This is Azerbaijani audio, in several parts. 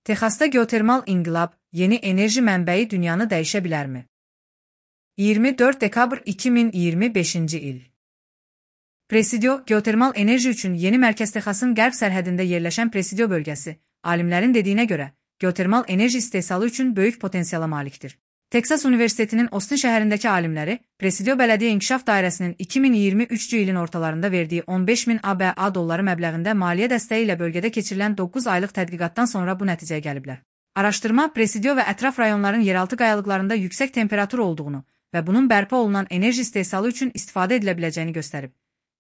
Texasda geotermal inqilab, yeni enerji mənbəyi dünyanı dəyişə bilərmi? 24 dekabr 2025-ci il. Presidio, geotermal enerji üçün yeni mərkəz Texasın qərb sərhədində yerləşən Presidio bölgəsi, alimlərin dediyinə görə, geotermal enerji istehsalı üçün böyük potensiala malikdir. Texas Universitetinin Austin şəhərindəki alimləri, Presidio Bələdiyyə İnkişaf Dairəsinin 2023-cü ilin ortalarında verdiyi 15.000 ABA dolları məbləğində maliyyə dəstəyi ilə bölgədə keçirilən 9 aylıq tədqiqatdan sonra bu nəticəyə gəliblər. Araşdırma, Presidio və ətraf rayonların yeraltı qayalıqlarında yüksək temperatur olduğunu və bunun bərpa olunan enerji istehsalı üçün istifadə edilə biləcəyini göstərib.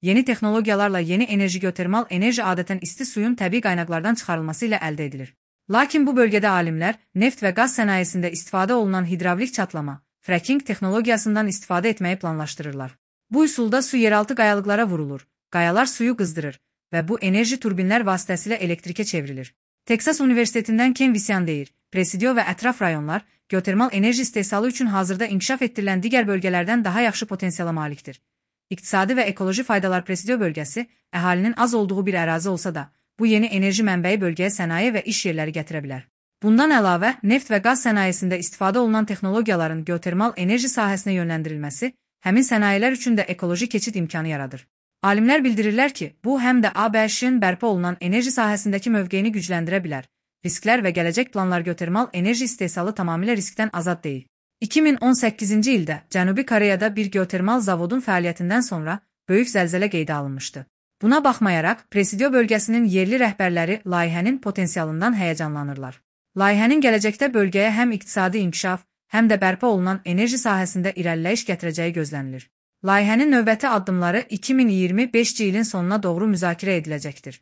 Yeni texnologiyalarla yeni enerji geotermal enerji adətən isti suyun təbii qaynaqlardan çıxarılması ilə əldə edilir. Lakin bu bölgədə alimlər, neft və qaz sənayesində istifadə olunan hidravlik çatlama, fracking texnologiyasından istifadə etməyi planlaşdırırlar. Bu üsulda su yeraltı qayalıqlara vurulur, qayalar suyu qızdırır və bu enerji turbinlər vasitəsilə elektrikə çevrilir. Texas Universitetindən Ken Visyan deyir, Presidio və ətraf rayonlar, geotermal enerji istehsalı üçün hazırda inkişaf etdirilən digər bölgələrdən daha yaxşı potensiala malikdir. İqtisadi və ekoloji faydalar Presidio bölgəsi, əhalinin az olduğu bir ərazi olsa da, bu yeni enerji mənbəyi bölgəyə sənaye və iş yerləri gətirə bilər. Bundan əlavə, neft və qaz sənayesində istifadə olunan texnologiyaların geotermal enerji sahəsinə yönləndirilməsi, həmin sənayələr üçün də ekoloji keçid imkanı yaradır. Alimlər bildirirlər ki, bu həm də ABŞ-ın bərpa olunan enerji sahəsindəki mövqeyini gücləndirə bilər. Risklər və gələcək planlar geotermal enerji istehsalı tamamilə riskdən azad deyil. 2018-ci ildə Cənubi Koreyada bir geotermal zavodun fəaliyyətindən sonra böyük zəlzələ qeydə alınmışdı. Buna baxmayaraq, Presidio bölgəsinin yerli rəhbərləri layihənin potensialından həyəcanlanırlar. Layihənin gələcəkdə bölgəyə həm iqtisadi inkişaf, həm də bərpa olunan enerji sahəsində irəliləyiş gətirəcəyi gözlənilir. Layihənin növbəti addımları 2025-ci ilin sonuna doğru müzakirə ediləcəkdir.